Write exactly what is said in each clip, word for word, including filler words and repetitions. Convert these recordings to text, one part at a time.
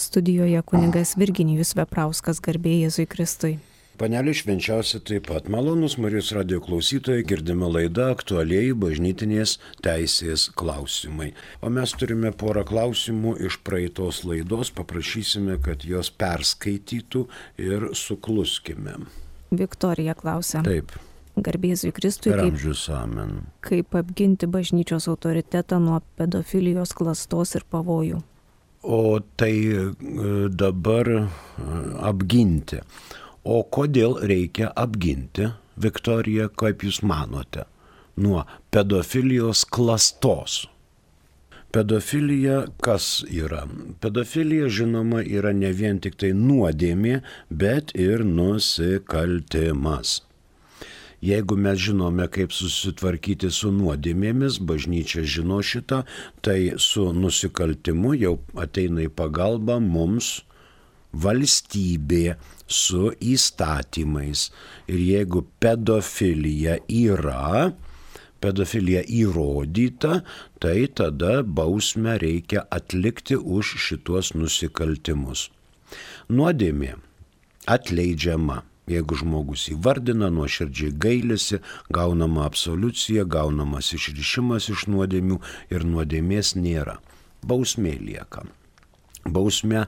Studijoje kunigas Virginijus Veprauskas, garbė Jėzui Kristui. Panelė švenčiausia taip pat. Malonus Marijos radijo klausytojai, girdime laidą aktualieji bažnytinės teisės klausimai. O mes turime porą klausimų iš praeitos laidos, paprašysime, kad jos perskaitytų ir sukluskime. Viktorija klausia. Taip. Garbė Jėzui Kristui. Per amžius amen. Kaip apginti bažnyčios autoritetą nuo pedofilijos, klastos ir pavojų? O tai dabar apginti. O kodėl reikia apginti, Viktorija, kaip jūs manote, nuo pedofilijos klastos? Pedofilija kas yra? Pedofilija, žinoma, yra ne vien tik tai nuodėmė, bet ir nusikaltimas. Jeigu mes žinome, kaip susitvarkyti su nuodėmėmis, bažnyčia žino šitą, tai su nusikaltimu jau ateina į pagalbą mums valstybė su įstatymais. Ir jeigu pedofilija yra, pedofilija įrodyta, tai tada bausmę reikia atlikti už šitos nusikaltimus. Nuodėmė atleidžiama. Jeigu žmogus įvardina, nuoširdžiai gailisi, gaunama absoliucija, gaunamas išrišimas iš nuodėmių ir nuodėmės nėra. Bausmė lieka. Bausmė,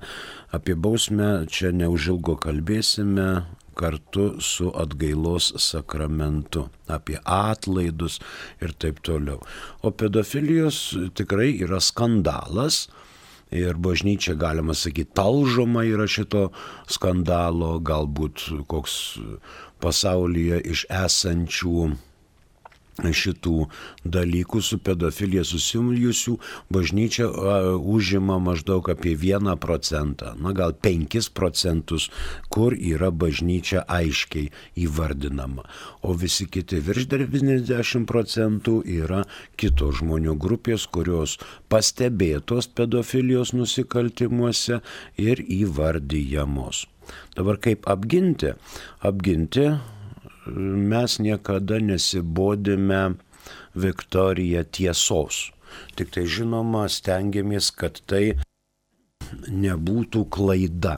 apie bausmę čia neužilgo kalbėsime kartu su atgailos sakramentu, apie atlaidus ir taip toliau. O pedofilijos tikrai yra skandalas ir bažnyčia, galima sakyti, talžoma yra šito skandalo, galbūt koks pasaulyje iš esančių šitų dalykų su pedofilija susijusių bažnyčia uh, užima maždaug apie vieną procentą, na gal penkis procentus, kur yra bažnyčia aiškiai įvardinama. O visi kiti virš devyniasdešimt procentų yra kitos žmonių grupės, kurios pastebėtos pedofilijos nusikaltimuose ir įvardyjamos. Dabar kaip apginti? Apginti mes niekada nesibodime, Viktorija, tiesos. Tik tai žinoma stengiamės, kad tai nebūtų klaida,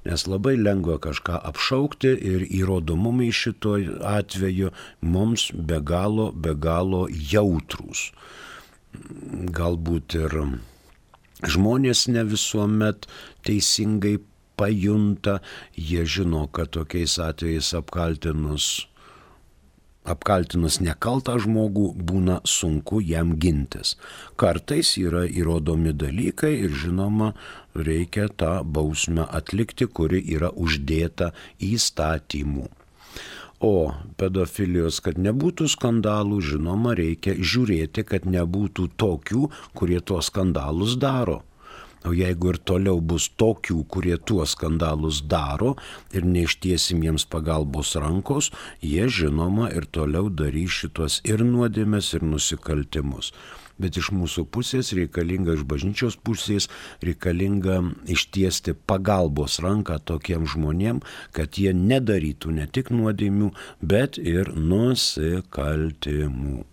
nes labai lengva kažką apšaukti ir įrodomumai šito atveju mums be galo, be galo jautrūs. Galbūt ir žmonės ne visuomet teisingai pajunta, jie žino, kad tokiais atvejais apkaltinus Apkaltinus nekaltą žmogų būna sunku jam gintis. Kartais yra įrodomi dalykai ir žinoma reikia tą bausmę atlikti, kuri yra uždėta įstatymų. O pedofilijos, kad nebūtų skandalų, žinoma reikia žiūrėti, kad nebūtų tokių, kurie tuos skandalus daro. O jeigu ir toliau bus tokių, kurie tuos skandalus daro ir neištiesim jiems pagalbos rankos, jie žinoma ir toliau darys šitos ir nuodėmes, ir nusikaltimus. Bet iš mūsų pusės reikalinga, iš bažnyčios pusės reikalinga ištiesti pagalbos ranką tokiem žmonėm, kad jie nedarytų ne tik nuodėmių, bet ir nusikaltimų.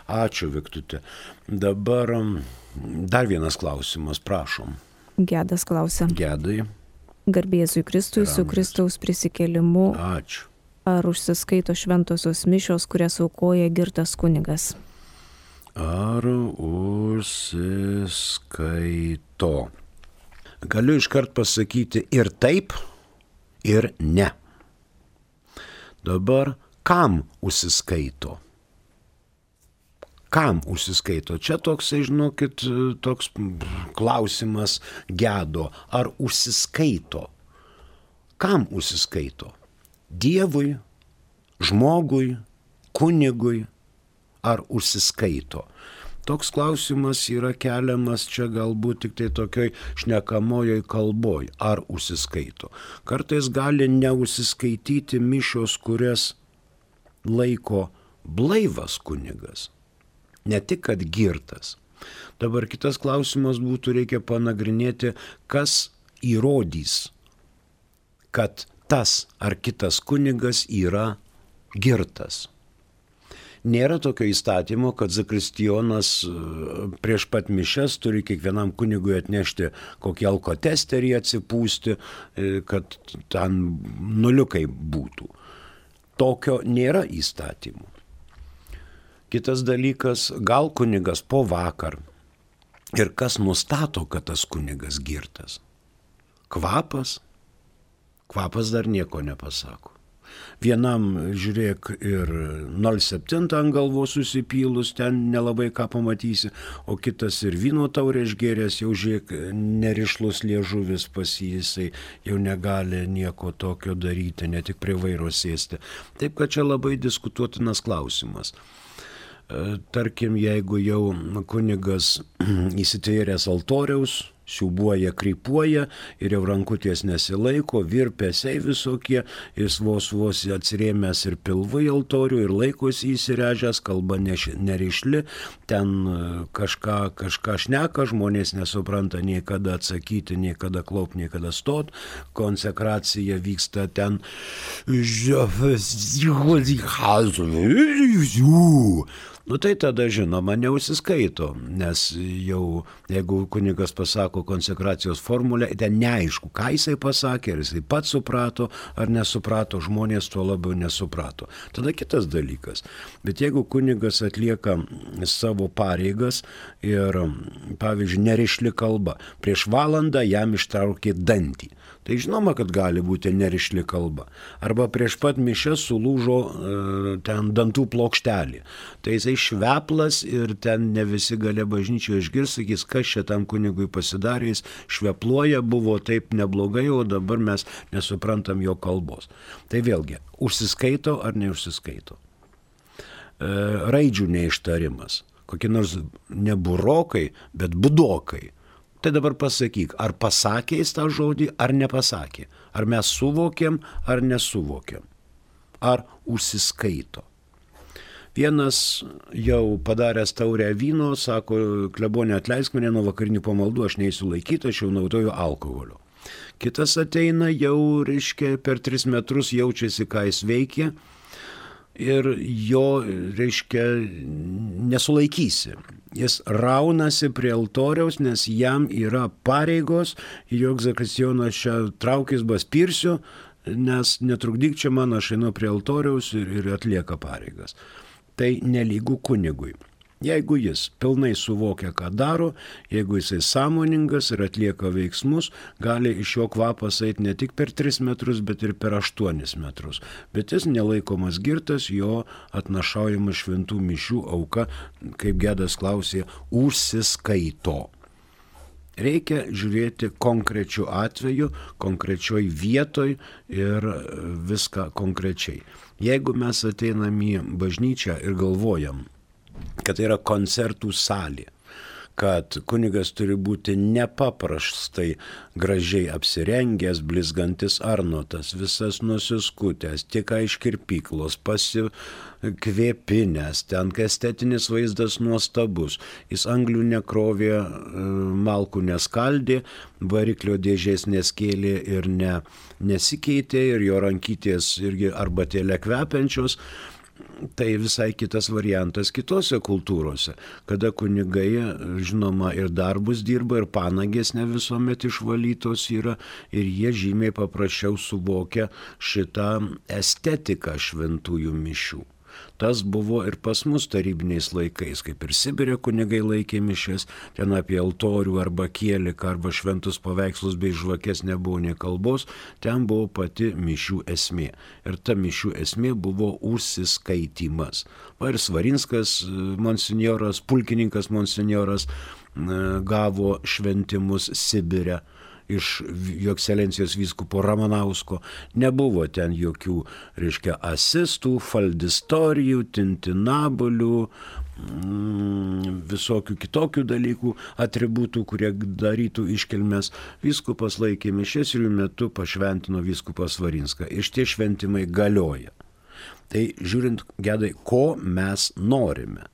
Ačiū, Viktute. Dabar dar vienas klausimas, prašom. Gedas klausia. Gedai. Garbė Jėzui Kristui su Kristaus prisikėlimu. Ačiū. Ar užsiskaito šventosios mišios, kurias aukoja girtas kunigas? Ar užsiskaito? Galiu iškart pasakyti ir taip, ir ne. Dabar kam užsiskaito? Kam užsiskaito? Čia toks, žinokit, toks klausimas gedo. Ar užsiskaito? Kam užsiskaito? Dievui, žmogui, kunigui? Ar užsiskaito? Toks klausimas yra keliamas čia galbūt tik tai tokioj šnekamojoj kalboj. Ar užsiskaito? Kartais gali neužsiskaityti mišios, kurias laiko blaivas kunigas. Ne tik, kad girtas. Dabar kitas klausimas būtų, reikia panagrinėti, kas įrodys, kad tas ar kitas kunigas yra girtas. Nėra tokio įstatymo, kad zakristijonas prieš pat mišias turi kiekvienam kunigui atnešti kokį alkotesterį atsipūsti, kad ten nuliukai būtų. Tokio nėra įstatymų. Kitas dalykas, gal kunigas po vakar. Ir kas nustato, kad tas kunigas girtas? Kvapas? Kvapas dar nieko nepasako. Vienam, žiūrėk, ir nol septyni ant galvos susipylus, ten nelabai ką pamatysi, o kitas ir vyno taurę išgėręs, jau žiūrėk, nerišlus liežuvis pas jį, jisai jau negali nieko tokio daryti, ne tik prie vairo sėsti. Taip, kad čia labai diskutuotinas klausimas. Tarkim, jeigu jau kunigas įsitvėręs altoriaus, siūbuoja, krypuoja ir jau rankutės nesilaiko, virpesiai visokie, jis vos vos atsirėmęs ir pilvu į altorių ir laikosi įsirežęs, kalba nerišli, ten kažką, kažką šneka, žmonės nesupranta nei kada atsakyti, nei kada klaup, nei kada stot, konsekracija vyksta ten. Nu tai tada, žinoma, neužsiskaito, nes jau jeigu kunigas pasako konsekracijos formulę, ten neaišku, ką jisai pasakė, ar jisai pats suprato, ar nesuprato, žmonės tuo labiau nesuprato. Tada kitas dalykas. Bet jeigu kunigas atlieka savo pareigas ir, pavyzdžiui, nerišli kalba, prieš valandą jam ištraukė dantį, tai žinoma, kad gali būti nerišli kalba. Arba prieš pat mišias sulūžo e, ten dantų plokštelį. Tai jisai šveplas ir ten ne visi gali bažnyčioje išgirs, sakys, kas čia tam kunigui pasidarė, jis švepluoja, buvo taip neblogai, o dabar mes nesuprantam jo kalbos. Tai vėlgi, užsiskaito ar neužsiskaito. E, raidžių neištarimas. Kokie nors ne burokai, bet budokai. Tai dabar pasakyk, ar pasakė jis tą žodį, ar nepasakė. Ar mes suvokėm, ar nesuvokėm. Ar užsiskaito. Vienas jau padaręs taurę vyno, sako, klebonė atleisk mane nuo vakarinių pamaldų, aš neįsiu laikyti, aš jau naudoju alkoholio. Kitas ateina jau, reiškia, per tris metrus jaučiasi, ką jis veikia. Ir jo, reiškia, nesulaikysi. Jis raunasi prie altoriaus, nes jam yra pareigos, jog zakristijonas čia traukis baspirsiu, nes netrukdyk čia man, aš einu prie altoriaus ir, ir atlieka pareigas. Tai nelygu kunigui. Jeigu jis pilnai suvokia, ką daro, jeigu jisai sąmoningas ir atlieka veiksmus, gali iš jo kvapas eiti ne tik per tris metrus, bet ir per aštuonis metrus. Bet jis nelaikomas girtas, jo atnašaujama šventų mišių auka, kaip Gedas klausė, užsiskaito. Reikia žiūrėti konkrečiu atveju, konkrečioj vietoj ir viską konkrečiai. Jeigu mes ateinam į bažnyčią ir galvojam, kad tai yra koncertų salė, kad kunigas turi būti nepaprastai gražiai apsirengęs, blizgantis arnotas, visas nusiskutęs, tik iš kirpyklos, pasikvėpinęs, ten estetinis vaizdas nuostabus, jis anglių nekrovė, malkų neskaldė, variklio dėžės neskėlė ir ne, nesikeitė, ir jo rankytės irgi arbatėlė kvepiančios. Tai visai kitas variantas kitose kultūrose, kada kunigai, žinoma, ir darbus dirba, ir panagės ne visuomet išvalytos yra, ir jie žymiai paprasčiau suvokia šitą estetiką šventųjų mišių. Tas buvo ir pas mus tarybiniais laikais, kaip ir Sibire kunigai laikė mišias, ten apie altorių arba kieliką arba šventus paveikslus bei žvakes nebuvo nei kalbos, ten buvo pati mišių esmė. Ir ta mišių esmė buvo užsiskaitimas. Va ir Svarinskas monsinjoras, pulkininkas monsinjoras gavo šventimus Sibire iš jo ekscelencijos vyskupo Ramanausko. Nebuvo ten jokių, reiškia, asistų, faldistorijų, tintinabolių, mm, visokių kitokių dalykų, atributų, kurie darytų iškilmes. Vyskupas laikė mišias ir jų metu pašventino vyskupas Svarinską. Ir tie šventimai galioja. Tai žiūrint, Gedai, ko mes norime.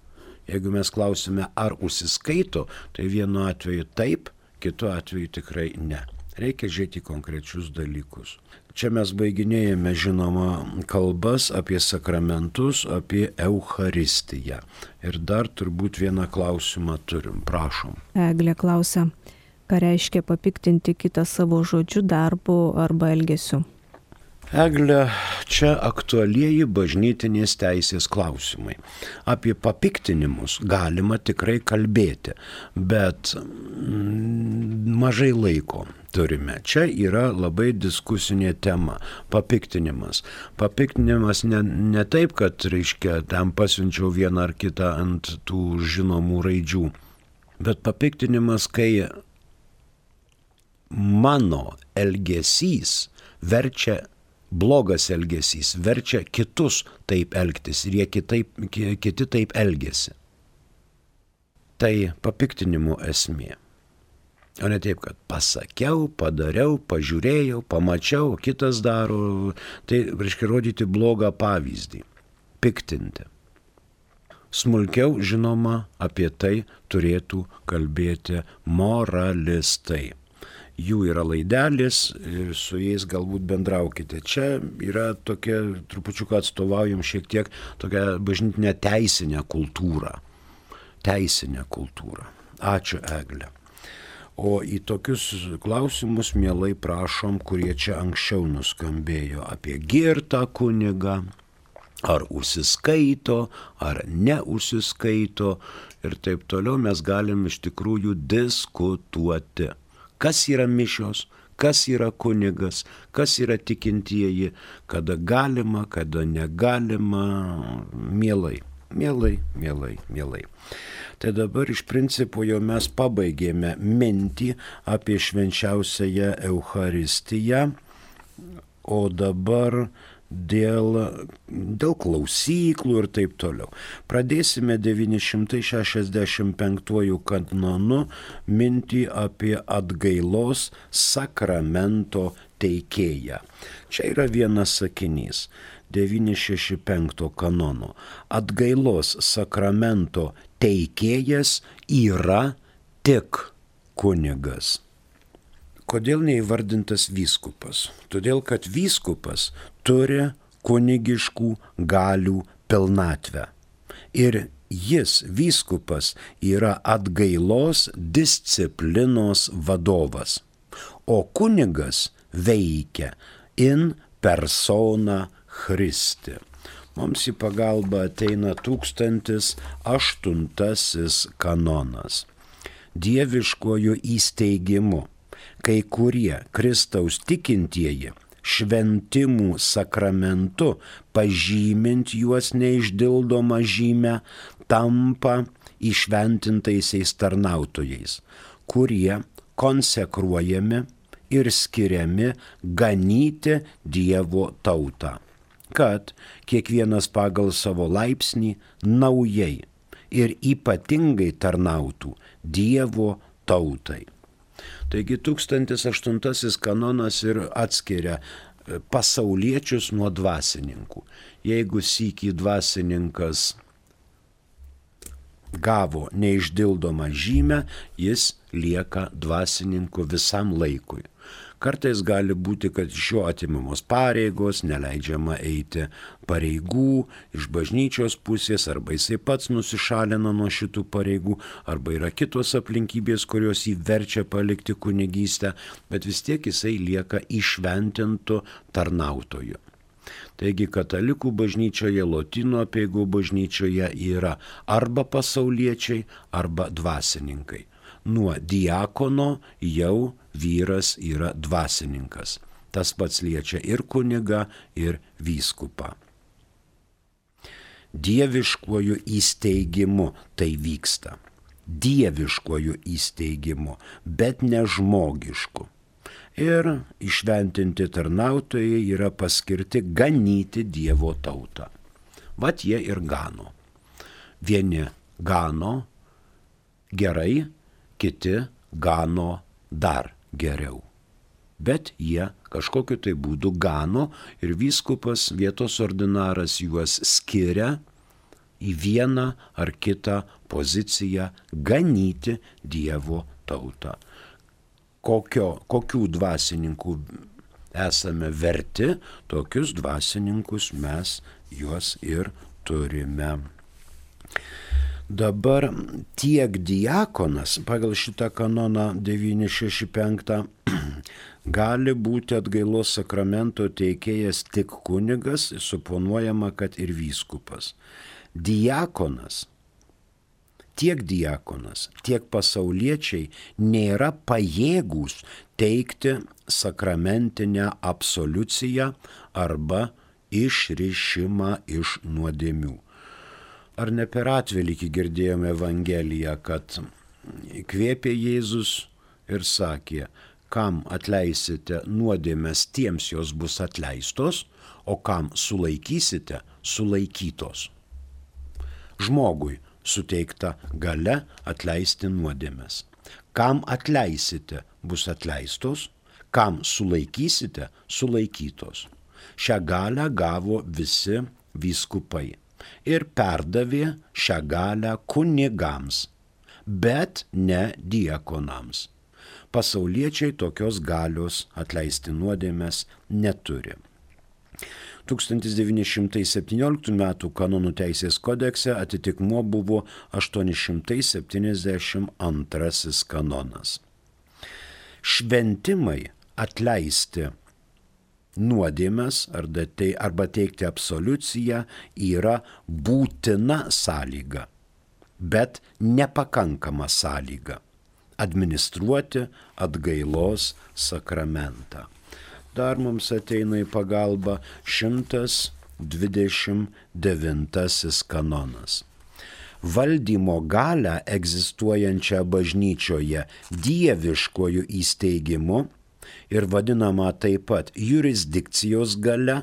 Jeigu mes klausime, ar užsiskaito, tai vienu atveju taip, kitu atveju tikrai ne. Reikia žiūrėti į konkrečius dalykus. Čia mes baiginėjame, žinoma, kalbas apie sakramentus, apie Eucharistiją. Ir dar turbūt vieną klausimą turim. Prašom. Eglė klausia, ką reiškia papiktinti kitą savo žodžiu, darbu arba elgesiu? Eglė, čia aktualieji bažnytinės teisės klausimai. Apie papiktinimus galima tikrai kalbėti, bet mažai laiko turime. Čia yra labai diskusinė tema – papiktinimas. Papiktinimas ne, ne taip, kad, reiškia, ten pasiunčiau vieną ar kitą ant tų žinomų raidžių, bet papiktinimas, kai mano elgesys verčia blogas elgesys, verčia kitus taip elgtis ir jie kitaip, kiti taip elgesi. Tai papiktinimo esmė. O ne taip, kad pasakiau, padariau, pažiūrėjau, pamačiau, kitas daro. Tai reiškia rodyti blogą pavyzdį. Piktinti. Smulkiau, žinoma, apie tai turėtų kalbėti moralistai. Jų yra laidelis ir su jais galbūt bendraukite. Čia yra tokia, trupučiuką atstovaujam šiek tiek tokią bažnytinę teisinę kultūrą. Teisinę kultūrą. Ačiū, Eglė. O į tokius klausimus mielai prašom, kurie čia anksčiau nuskambėjo apie girtą kunigą, ar užsiskaito, ar neužsiskaito ir taip toliau mes galim iš tikrųjų diskutuoti. Kas yra mišios, kas yra kunigas, kas yra tikintieji, kada galima, kada negalima, mielai, mielai, mielai, mielai. Tai dabar iš principo jau mes pabaigėme mintį apie švenčiausiąją Eucharistiją, o dabar dėl, dėl klausyklų ir taip toliau. Pradėsime devyni šimtai šešiasdešimt penktuoju kanonu mintį apie atgailos sakramento teikėją. Čia yra vienas sakinys. devyni šeši penkto kanono. Atgailos sakramento teikėjas yra tik kunigas. Kodėl neįvardintas vyskupas? Todėl, kad vyskupas turi kunigiškų galių pilnatvę. Ir jis, vyskupas, yra atgailos disciplinos vadovas. O kunigas veikia in persona Christi. Mums į pagalbą ateina tūkstantis aštuntasis kanonas. Dieviškojų įsteigimu kai kurie Kristaus tikintieji šventimų sakramentu, pažymint juos neišdildomą žymę, tampa įšventintaisiais tarnautojais, kurie konsekruojami ir skiriami ganyti Dievo tautą, kad kiekvienas pagal savo laipsnį naujai ir ypatingai tarnautų Dievo tautai. Taigi tūkstantis aštuntasis kanonas ir atskiria pasauliečius nuo dvasininkų. Jeigu sykį dvasininkas gavo neišdildomą žymę, jis lieka dvasininku visam laikui. Kartais gali būti, kad iš jo atimamos pareigos, neleidžiama eiti pareigų iš bažnyčios pusės, arba jisai pats nusišalina nuo šitų pareigų, arba yra kitos aplinkybės, kurios jį verčia palikti kunigystę, bet vis tiek jisai lieka įšventintu tarnautoju. Taigi katalikų bažnyčioje, lotynų apeigų bažnyčioje yra arba pasauliečiai, arba dvasininkai. Nuo diakono jau vyras yra dvasininkas. Tas pats liečia ir kunigą, ir vyskupą. Dieviškuoju įsteigimu tai vyksta. Dieviškuoju įsteigimu, bet ne žmogišku. Ir įšventinti tarnautojai yra paskirti ganyti Dievo tautą. Vat jie ir gano. Vieni gano gerai, kiti gano dar geriau. Bet jie kažkokiu tai būdu gano ir vyskupas, vietos ordinaras juos skiria į vieną ar kitą poziciją ganyti Dievo tautą. kokio, kokių dvasininkų esame verti, tokius dvasininkus mes juos ir turime. Dabar tiek diakonas pagal šitą kanoną devyni šeši penki gali būti atgailos sakramento teikėjas tik kunigas, suponuojama, kad ir vyskupas. Diakonas, tiek diakonas, tiek pasauliečiai nėra pajėgūs teikti sakramentinę absoliuciją arba išrišimą iš nuodėmių. Ar ne per atvelykį girdėjome Evangeliją, kad įkvėpė Jėzus ir sakė, kam atleisite nuodėmes, tiems jos bus atleistos, o kam sulaikysite, sulaikytos. Žmogui suteikta galia atleisti nuodėmes. Kam atleisite, bus atleistos, kam sulaikysite, sulaikytos. Šią galią gavo visi vyskupai ir perdavė šią galią kunigams, bet ne diakonams. Pasauliečiai tokios galios atleisti nuodėmes neturi. tūkstantis devyni šimtai septynioliktų metų kanonų teisės kodekse atitikmuo buvo aštuoni šimtai septyniasdešimt antrasis kanonas. Šventimai atleisti nuodėmes arba teikti absoliuciją yra būtina sąlyga, bet nepakankama sąlyga administruoti atgailos sakramentą. Dar mums ateina į pagalbą šimtas dvidešimt devintasis kanonas. Valdymo galią egzistuojančią bažnyčioje dieviškojų įsteigimu ir vadinama taip pat jurisdikcijos galia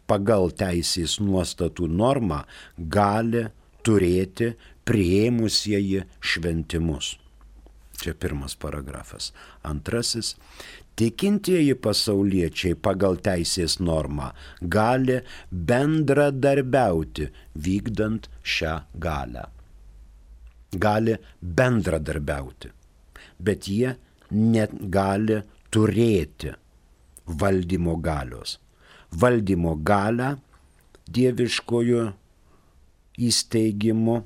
pagal teisės nuostatų normą gali turėti priėmusieji šventimus. Čia pirmas paragrafas. Antrasis. Tikintieji pasauliečiai pagal teisės normą gali bendradarbiauti vykdant šią galią. Gali bendradarbiauti, bet jie net gali turėti valdymo galios. Valdymo galią dieviškojų įsteigimų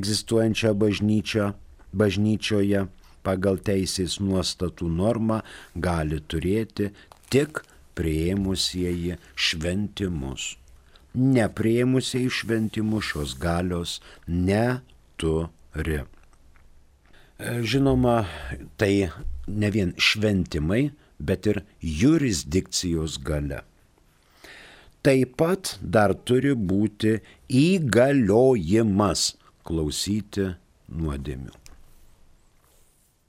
egzistuojančią bažnyčią, bažnyčioje pagal teisės nuostatų normą gali turėti tik priėmusieji šventimus. Nepriėmusieji šventimų šios galios neturi. Žinoma, tai ne vien šventimai, bet ir jurisdikcijos galia. Taip pat dar turi būti įgaliojimas klausyti nuodėmių.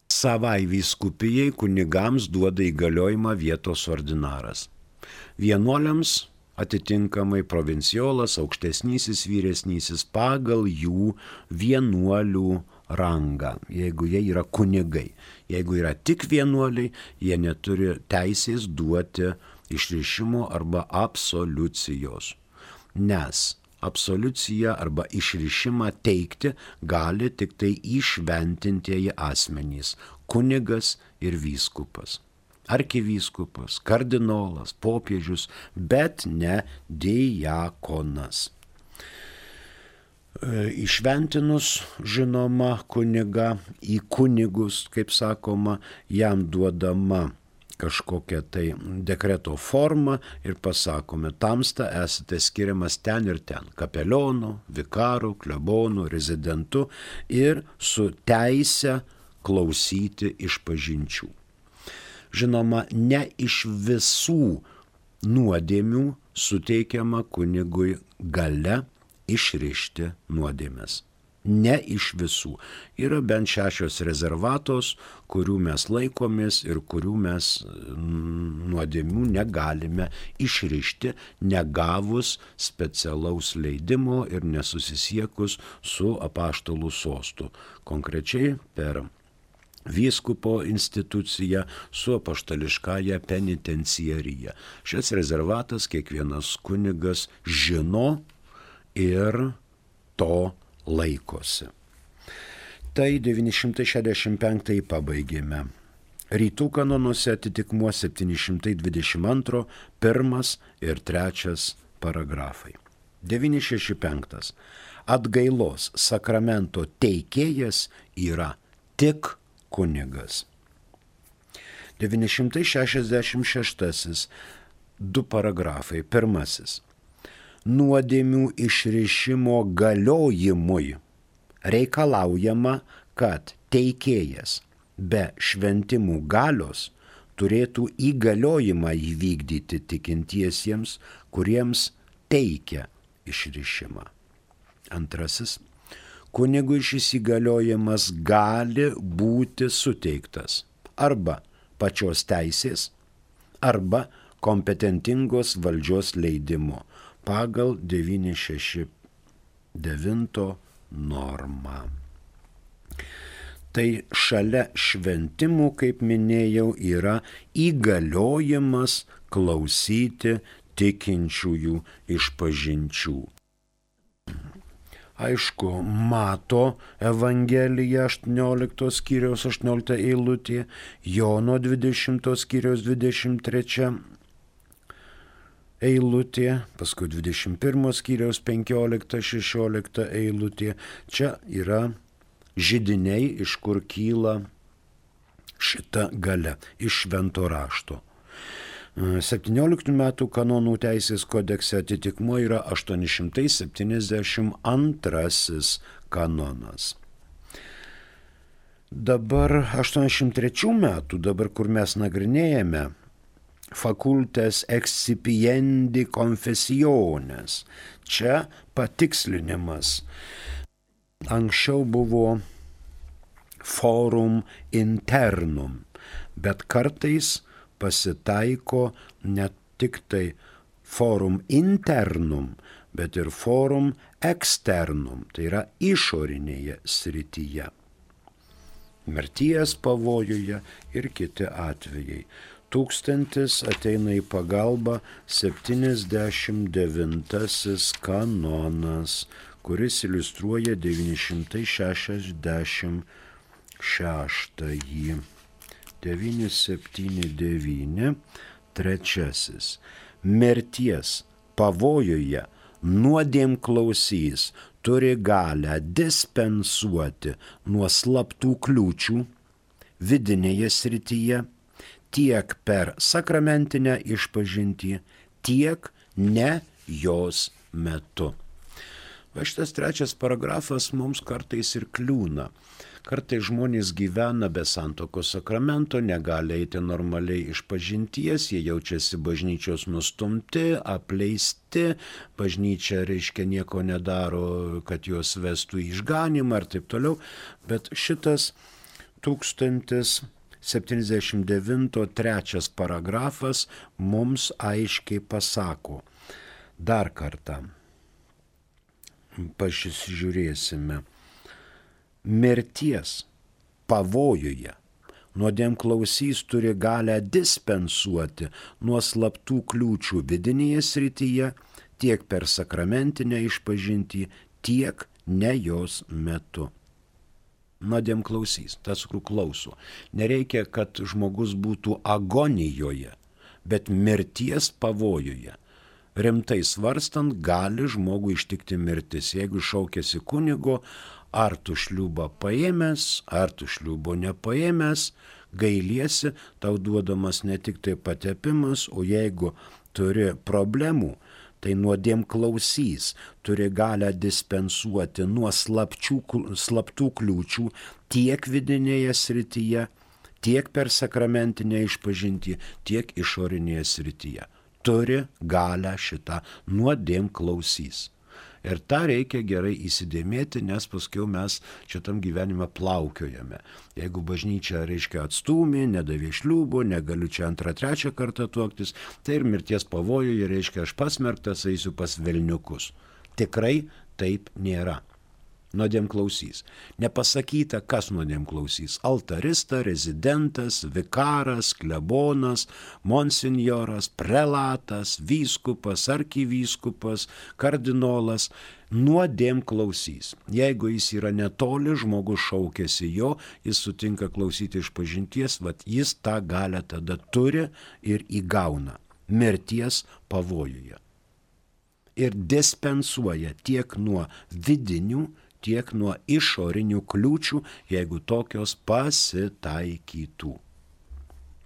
Savai vyskupijai kunigams duoda įgaliojimą vietos ordinaras. Vienuoliams atitinkamai provinciolas, aukštesnysis, vyresnysis pagal jų vienuolių rangą, jeigu jie yra kunigai. Jeigu yra tik vienuoliai, jie neturi teisės duoti išrišimo arba absoliucijos. Nes absoliuciją arba išrišimą teikti gali tik tai įšventintieji asmenys – kunigas ir vyskupas. Arkivyskupas, kardinolas, popiežius, bet ne diakonas. Įšventinus, žinoma, kunigą į kunigus, kaip sakoma, jam duodama kažkokia tai dekreto forma ir pasakome, tamsta esate skiriamas ten ir ten, kapelionu, vikaru, klebonu, rezidentu ir su teise klausyti išpažinčių. Žinoma, ne iš visų nuodėmių suteikiama kunigui galia išrišti nuodėmes. Ne iš visų. Yra bent šešios rezervatos, kurių mes laikomės ir kurių mes nuodėmių negalime išrišti, negavus specialaus leidimo ir nesusisiekus su apaštalų sostu. Konkrečiai per vyskupo instituciją su apaštališkąja penitenciarija. Šis rezervatas kiekvienas kunigas žino ir to laikosi. Tai devyni šimtai šešiasdešimt penktąjį pabaigėme. Rytų kanonuose atitikmuo septyni šimtai dvidešimt antro pirmas ir trečias paragrafai. devyni šeši penki. Atgailos sakramento teikėjas yra tik kunigas. devyni šimtai šešiasdešimt šeštasis. Du paragrafai. Pirmasis. Nuodėmių išrišimo galiojimui reikalaujama, kad teikėjas be šventimų galios turėtų įgaliojimą įvykdyti tikintiesiems, kuriems teikia išrišimą. Antrasis. Kunigui šis įgaliojimas gali būti suteiktas arba pačios teisės, arba kompetentingos valdžios leidimo pagal devyni šeši devyni normą. Tai šalia šventimų, kaip minėjau, yra įgaliojimas klausyti tikinčiųjų išpažinčių. Aišku, Mato Evangelija aštuoniolikto skyriaus aštuoniolikta eilutė, Jono dvidešimto skyriaus dvidešimt trečia eilutė, paskui dvidešimt pirmo skyriaus penkiolikta šešiolikta eilutė. Čia yra židiniai, iš kur kyla šita galia, iš švento rašto. septynioliktų metų kanonų teisės kodekse atitikmuo yra aštuoni šimtai septyniasdešimt antrasis kanonas. Dabar aštuoniasdešimt trečių metų, dabar kur mes nagrinėjame, facultas excipiendi confessiones. Čia patikslinimas. Anksčiau buvo forum internum, bet kartais pasitaiko ne tik tai forum internum, bet ir forum externum, tai yra išorinėje srityje. Mirties pavojuje ir kiti atvejai. Tūkstantis ateina į pagalbą septyniasdešimt devintasis kanonas, kuris iliustruoja devyni šimtai šešiasdešimt šeštąjį. devyni septyni devyni, trečiasis. Mirties pavojuje nuodėmklausys turi galę dispensuoti nuo slaptų kliūčių vidinėje srityje tiek per sakramentinę išpažintį, tiek ne jos metu. Va šitas trečias paragrafas mums kartais ir kliūna. Kartais žmonės gyvena be santuokos sakramento, negali eiti normaliai išpažinties, jie jaučiasi bažnyčios nustumti, apleisti, bažnyčia reiškia nieko nedaro, kad juos vestų į išganymą ir taip toliau, bet šitas tūkstantis septyniasdešimt devinto trečias paragrafas mums aiškiai pasako. Dar kartą pasižiūrėsime. Mirties pavojuje nuodėmklausys turi galę dispensuoti nuo slaptų kliūčių vidinėje srityje tiek per sakramentinę išpažintį, tiek ne jos metu. Nuodėmklausys, tas, kur klauso. Nereikia, kad žmogus būtų agonijoje, bet mirties pavojuje. Rimtai svarstant, gali žmogų ištikti mirtis. Jeigu šaukėsi kunigo, ar tu šliūbą paėmęs, ar tu šliūbo nepaėmęs, gailiesi, tau duodamas ne tik tai patepimas, o jeigu turi problemų, tai nuodėmklausys turi galę dispensuoti nuo slapčių, slaptų kliūčių tiek vidinėje srityje, tiek per sakramentinę išpažintį, tiek išorinėje srityje. Turi galę šitą nuodėmklausys. Ir tą reikia gerai įsidėmėti, nes paskui mes šitam gyvenime plaukiojame. Jeigu bažnyčia, reiškia, atstūmė, nedavė šliūbo, negaliu čia antrą, trečią kartą tuoktis, tai ir mirties pavojuje, reiškia, aš pasmerktas, eisiu pas velniukus. Tikrai taip nėra. nuodėmklausys. Nepasakyta, kas nuodėmklausys. Altarista, rezidentas, vikaras, klebonas, monsinjoras, prelatas, vyskupas, arkivyskupas, kardinolas. Nuodėmklausys. Jeigu jis yra netoli, žmogus šaukėsi jo, jis sutinka klausyti iš pažinties, vat jis tą galę tada turi ir įgauna mirties pavojuje. Ir dispensuoja tiek nuo vidinių, tiek nuo išorinių kliūčių, jeigu tokios pasitaikytų.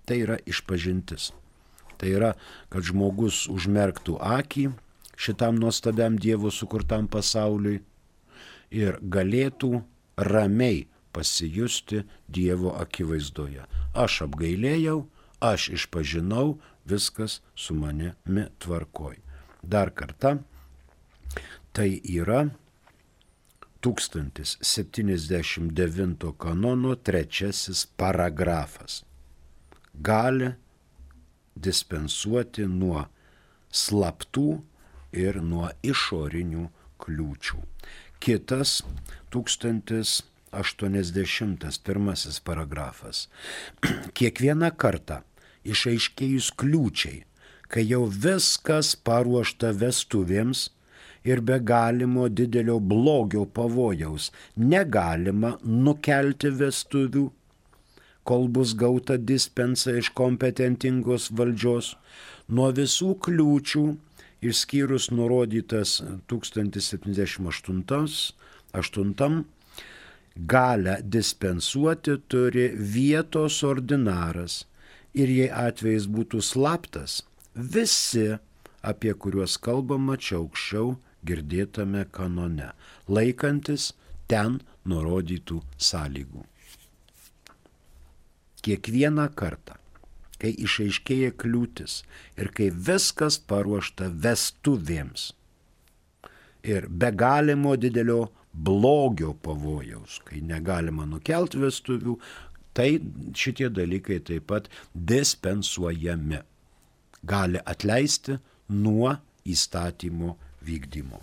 Tai yra išpažintis. Tai yra, kad žmogus užmerktų akį šitam nuostabiam Dievo sukurtam pasauliui ir galėtų ramiai pasijusti Dievo akivaizdoje. Aš apgailėjau, aš išpažinau, viskas su manimi tvarkoj. Dar kartą, tai yra tūkstantis septyniasdešimt devinto kanono trečiasis paragrafas. Gali dispensuoti nuo slaptų ir nuo išorinių kliūčių. Kitas tūkstantis aštuoniasdešimtas pirmasis paragrafas. Kiekvieną kartą išaiškėjus kliūčiai, kai jau viskas paruošta vestuvėms ir be galimo didelio blogio pavojaus negalima nukelti vestuvių, kol bus gauta dispensa iš kompetentingos valdžios, nuo visų kliūčių, išskyrus nurodytas tūkstantis septyniasdešimt aštuntam, galę dispensuoti turi vietos ordinaras ir jei atvejis būtų slaptas, visi, apie kuriuos kalbama čia aukščiau girdėtame kanone, laikantis ten nurodytų sąlygų. Kiekvieną kartą, kai išaiškėja kliūtis ir kai viskas paruošta vestuvėms ir be galimo didelio blogio pavojaus, kai negalima nukelti vestuvių, tai šitie dalykai taip pat dispensuojami. Gali atleisti nuo įstatymo vykdymo.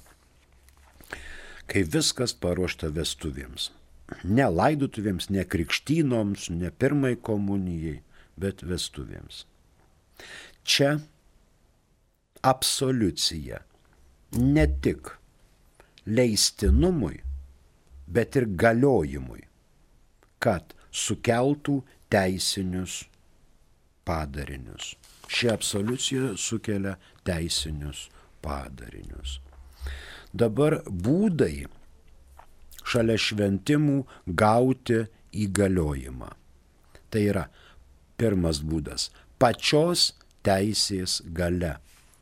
Kai viskas paruošta vestuvėms. Ne laidotuvėms, ne krikštynoms, ne pirmai komunijai, bet vestuvėms. Čia absoliucija ne tik leistinumui, bet ir galiojimui, kad sukeltų teisinius padarinius. Ši absoliucija sukelia teisinius padarinius. Dabar būdai šalia šventimų gauti įgaliojimą. Tai yra pirmas būdas – pačios teisės galia.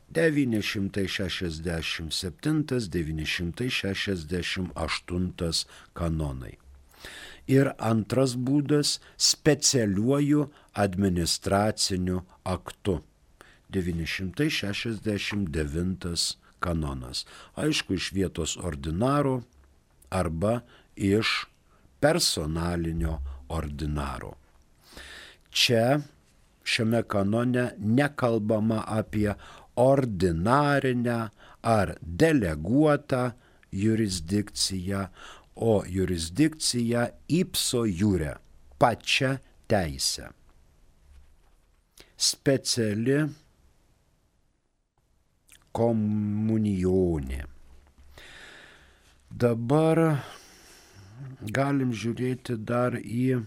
devyni šimtai šešiasdešimt septintas devyni šimtai šešiasdešimt aštuntas kanonai. Ir antras būdas – specialiuoju administraciniu aktu. devyni šimtai šešiasdešimt devintas kanonas. Aišku, iš vietos ordinaro arba iš personalinio ordinaro. Čia šiame kanone nekalbama apie ordinarinę ar deleguotą jurisdikciją, o jurisdikciją ipso jure, pačia teisė. Speciali komunijonė. Dabar galim žiūrėti dar į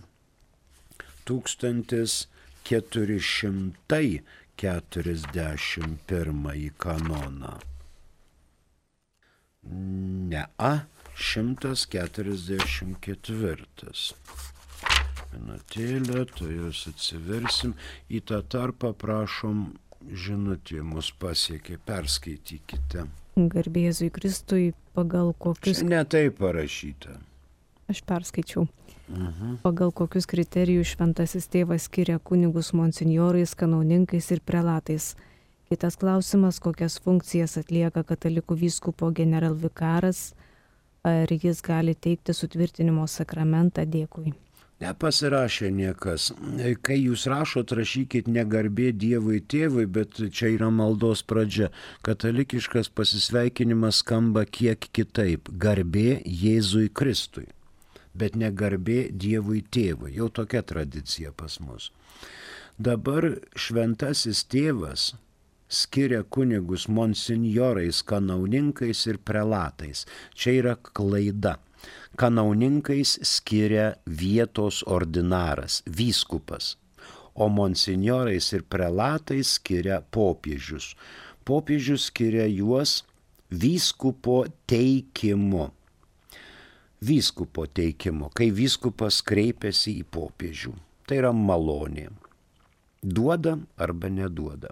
tūkstantis keturi šimtai keturiasdešimt pirmąjį kanoną. Ne, a, šimtas keturiasdešimt ketvirtas. Minutėlę, to jūs atsiversim. Į tą tarpą prašom žinutė mus pasiekė, perskaitykite. Garbė Jėzui Kristui, pagal kokius... Ne taip parašyta. Aš perskaičiau. Mhm. Pagal kokius kriterijus šventasis tėvas skiria kunigus monsinjorais, kanauninkais ir prelatais. Kitas klausimas, kokias funkcijas atlieka katalikų vyskupo generalvikaras, ar jis gali teikti sutvirtinimo sakramentą. Dėkui. Nepasirašė niekas. Kai jūs rašot, rašykit ne garbė Dievui tėvui, bet čia yra maldos pradžia. Katalikiškas pasisveikinimas skamba kiek kitaip. Garbė Jėzui Kristui, bet ne garbė Dievui tėvui. Jau tokia tradicija pas mus. Dabar šventasis tėvas skiria kunigus monsinjorais, kanauninkais ir prelatais. Čia yra klaida. Kanauninkais skiria vietos ordinaras, vyskupas, o monsinjorais ir prelatais skiria popiežius. Popiežius skiria juos vyskupo teikimu. Vyskupo teikimu, kai vyskupas kreipiasi į popiežių. Tai yra malonė. Duoda arba neduoda.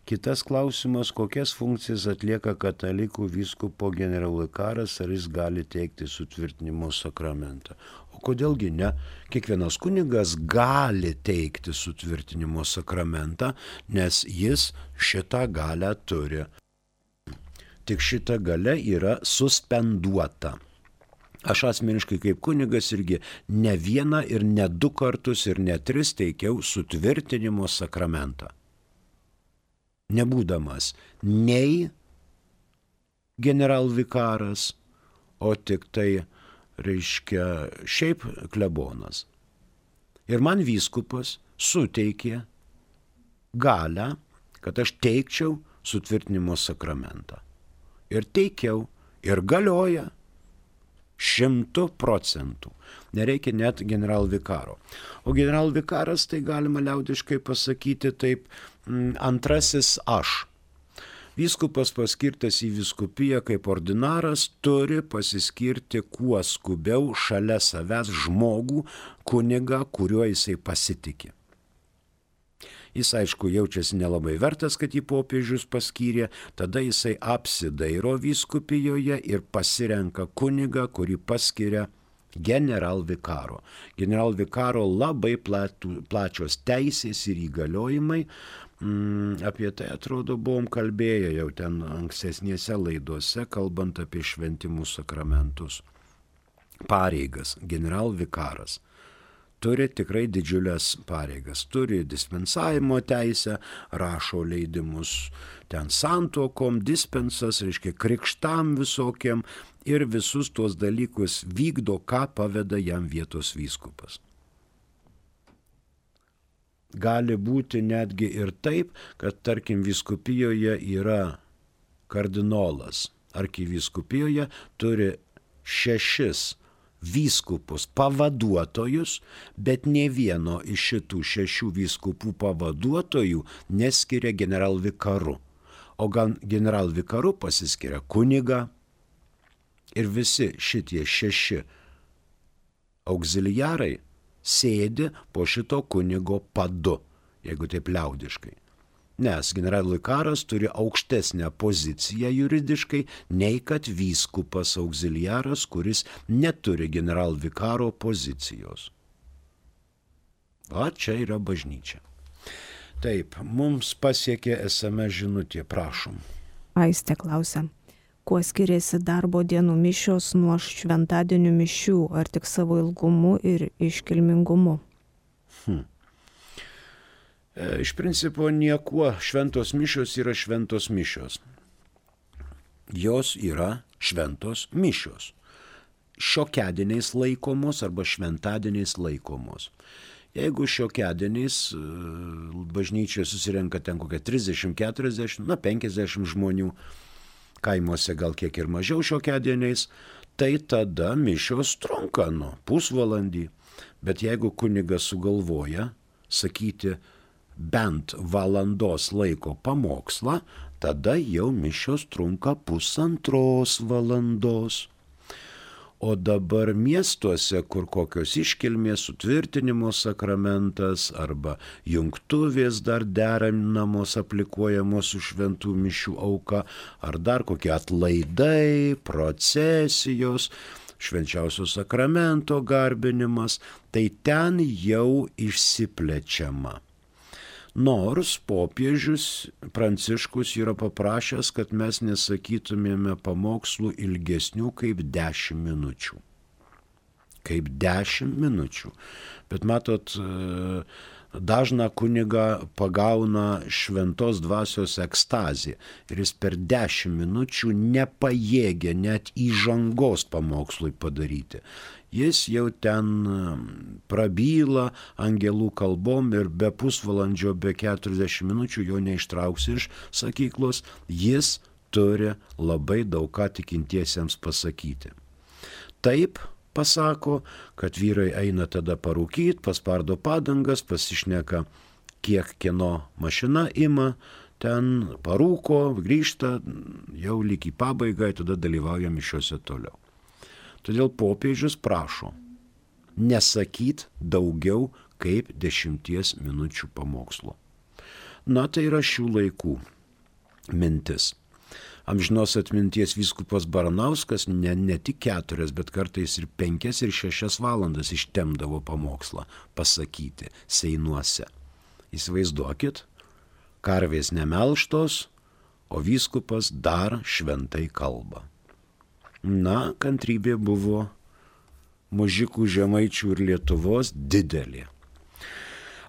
Kitas klausimas, kokias funkcijas atlieka katalikų vyskupo generalvikaras, ar jis gali teikti sutvirtinimo sakramentą. O kodėlgi ne? Kiekvienas kunigas gali teikti sutvirtinimo sakramentą, nes jis šitą galią turi. Tik šita galia yra suspenduota. Aš asmeniškai kaip kunigas irgi ne vieną ir ne du kartus ir ne tris teikiau sutvirtinimo sakramentą. Nebūdamas nei generalvikaras, o tik tai, reiškia, šiaip klebonas. Ir man vyskupas suteikė galią, kad aš teikčiau sutvirtinimo sakramentą. Ir teikiau, ir galioja. Šimtų procentų. Nereikia net generalvikaro. O generalvikaras, tai galima liaudiškai pasakyti taip, antrasis aš. Vyskupas paskirtas į vyskupiją kaip ordinaras turi pasiskirti kuo skubiau šalia savęs žmogų, kunigą, kuriuo jisai pasitikė. Jis, aišku, jaučiasi nelabai vertas, kad jį popiežius paskyrė, tada jisai apsidairo vyskupijoje ir pasirenka kunigą, kurį paskiria generalvikaro. Generalvikaro labai platų, plačios teisės ir įgaliojimai. Mm, apie tai, atrodo, buvom kalbėję jau ten ankstesnėse laidose, kalbant apie šventimų sakramentus. Pareigas generalvikaras turi tikrai didžiulės pareigas, turi dispensavimo teisę, rašo leidimus ten santuokom, dispensas, reiškia krikštam visokiem ir visus tuos dalykus vykdo, ką paveda jam vietos vyskupas. Gali būti netgi ir taip, kad tarkim vyskupijoje yra kardinolas, arkivyskupijoje turi šešis vyskupus pavaduotojus, bet ne vieno iš šitų šešių vyskupų pavaduotojų neskiria generalvikaru. O gal generalvikaru pasiskiria kunigą ir visi šitie šeši auxiliarai sėdi po šito kunigo padu, jeigu taip liaudiškai. Nes generalvikaras turi aukštesnę poziciją juridiškai, nei kad vyskupas auxiliaras, kuris neturi generalvikaro pozicijos. O čia yra bažnyčia. Taip, mums pasiekė es em es žinutė, prašom. Aistė klausia, kuo skiriasi darbo dienų mišios nuo šventadienių mišių, ar tik savo ilgumu ir iškilmingumu? Hmm. Iš principo niekuo, šventos mišios yra šventos mišios. Jos yra šventos mišios. Šiokiadieniais laikomos arba šventadieniais laikomos. Jeigu šiokiadieniais bažnyčioje susirenka ten kokia trisdešimt keturiasdešimt, na penkiasdešimt žmonių, kaimuose gal kiek ir mažiau šiokiadieniais, tai tada mišios trunka nu pusvalandį. Bet jeigu kunigas sugalvoja sakyti bent valandos laiko pamokslą, tada jau mišios trunka pusantros valandos. O dabar miestuose, kur kokios iškilmės, sutvirtinimo sakramentas arba jungtuvės dar derinamos, aplikuojamos su šventų mišių auka, ar dar kokie atlaidai, procesijos, švenčiausio sakramento garbinimas, tai ten jau išsiplečiama. Nors popiežius Pranciškus yra paprašęs, kad mes nesakytumėme pamokslų ilgesnių kaip dešimt minučių. Kaip dešimt minučių. Bet matot, dažną kunigą pagauna šventos dvasios ekstazė ir jis per dešimt minučių nepajėgia net įžangos pamokslui padaryti. Jis jau ten prabyla angelų kalbom ir be pusvalandžio, be keturiasdešimt minučių jo neištrauksi iš sakyklos, jis turi labai daug ką tikintiesiems pasakyti. Taip pasako, kad vyrai eina tada parūkyt, paspardo padangas, pasišneka, kiek kieno mašina ima, ten parūko, grįžta, jau lyg į pabaigą, tada dalyvauja mišiuose toliau. Todėl popiežius prašo nesakyt daugiau kaip dešimties minučių pamokslo. Na, tai yra šių laikų mintis. Amžinos atminties vyskupas Baranauskas ne, ne tik keturias, bet kartais ir penkias ir šešias valandas ištemdavo pamokslą pasakyti seinuose. Įsivaizduokit, karvės nemelštos, o vyskupas dar šventai kalba. Na, kantrybė buvo mužikų, žemaičių ir Lietuvos didelė.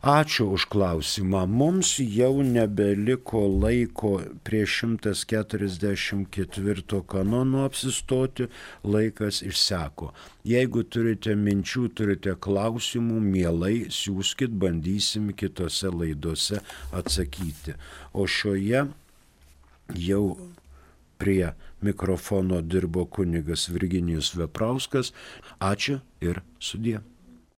Ačiū už klausimą. Mums jau nebeliko laiko prie šimtas keturiasdešimt ketvirto kanono apsistoti, laikas išseko. Jeigu turite minčių, turite klausimų, mielai siųskit, bandysim kitose laidose atsakyti. O šioje jau prie mikrofono dirbo kunigas Virginijus Veprauskas. Ačiū ir sudie.